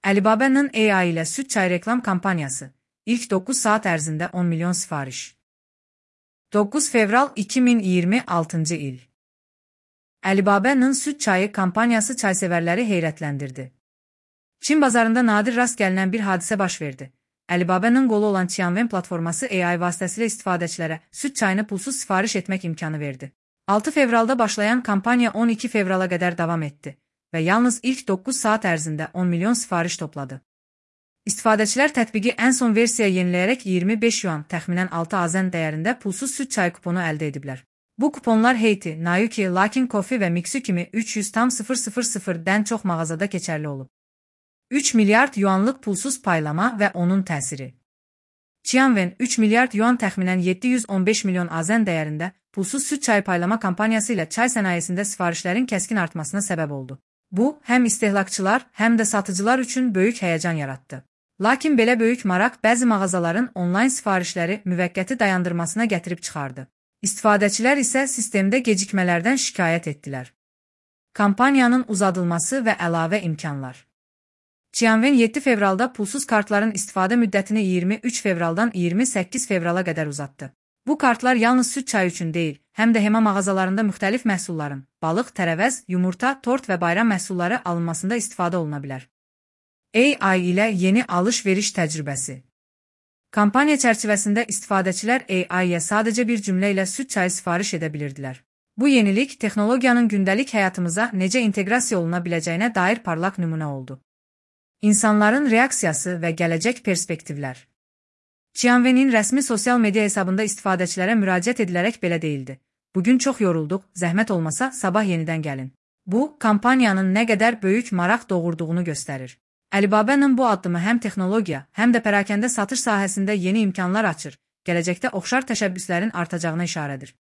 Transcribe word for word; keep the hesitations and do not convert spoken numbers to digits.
Alibaba'nın A I ile süt çay reklam kampanyası. İlk dokuz saat ərzində on milyon sifariş. dokuz fevral iki min iyirmi altıncı il. Alibaba'nın süt çayı kampanyası çaysevərləri heyrətləndirdi. Çin bazarında nadir rast gəlinən bir hadisə baş verdi. Alibaba'nın qolu olan Tianwen platforması A I vasitəsilə istifadəçilərə süt çayını pulsuz sifariş etmək imkanı verdi. altı fevralda başlayan kampanya on iki fevrala qədər davam etdi və yalnız ilk dokuz saat ərzində on milyon sifariş topladı. İstifadəçilər tətbiqi ən son versiya yeniləyərək iyirmi beş yuan, təxminən altı azən dəyərində pulsuz süt çay kuponu əldə ediblər. Bu kuponlar Heyti, Nayuki, Luckin Coffee və Mixu kimi üç yüz dən çox mağazada keçərli olub. üç milyard yuanlıq pulsuz paylama və onun təsiri. Tianwen üç milyard yuan təxminən yeddi yüz on beş milyon azən dəyərində pulsuz süt çay paylama kampanyası ilə çay sənayesində sifarişlərin kəskin artmasına səbəb oldu. Bu, həm istehlakçılar, həm də satıcılar üçün böyük həyəcan yaratdı. Lakin belə böyük maraq bəzi mağazaların onlayn sifarişləri müvəqqəti dayandırmasına gətirib çıxardı. İstifadəçilər isə sistemdə gecikmələrdən şikayət etdilər. Kampaniyanın uzadılması və əlavə imkanlar. Tianwen yeddi fevralda pulsuz kartların istifadə müddətini iyirmi üç fevraldan iyirmi səkkiz fevrala qədər uzatdı. Bu kartlar yalnız süt çayı üçün deyil, həm də hema mağazalarında müxtəlif məhsulların, balıq, tərəvəz, yumurta, tort və bayram məhsulları alınmasında istifadə oluna bilər. A I ilə yeni alış-veriş təcrübəsi. Kampaniya çərçivəsində istifadəçilər A I-yə sadəcə bir cümlə ilə süt çayı sifariş edə bilirdilər. Bu yenilik texnologiyanın gündəlik həyatımıza necə inteqrasiya oluna biləcəyinə dair parlaq nümunə oldu. İnsanların reaksiyası və gələcək perspektivlər. Tianwen'in rəsmi sosial media hesabında istifadəçilərə müraciət edilərək belə deyildi. Bugün çox yorulduq, zəhmət olmasa sabah yenidən gəlin. Bu, kampaniyanın nə qədər böyük maraq doğurduğunu göstərir. Alibaba'nın bu addımı həm texnologiya, həm də pərakəndə satış sahəsində yeni imkanlar açır, gələcəkdə oxşar təşəbbüslərin artacağına işarədir.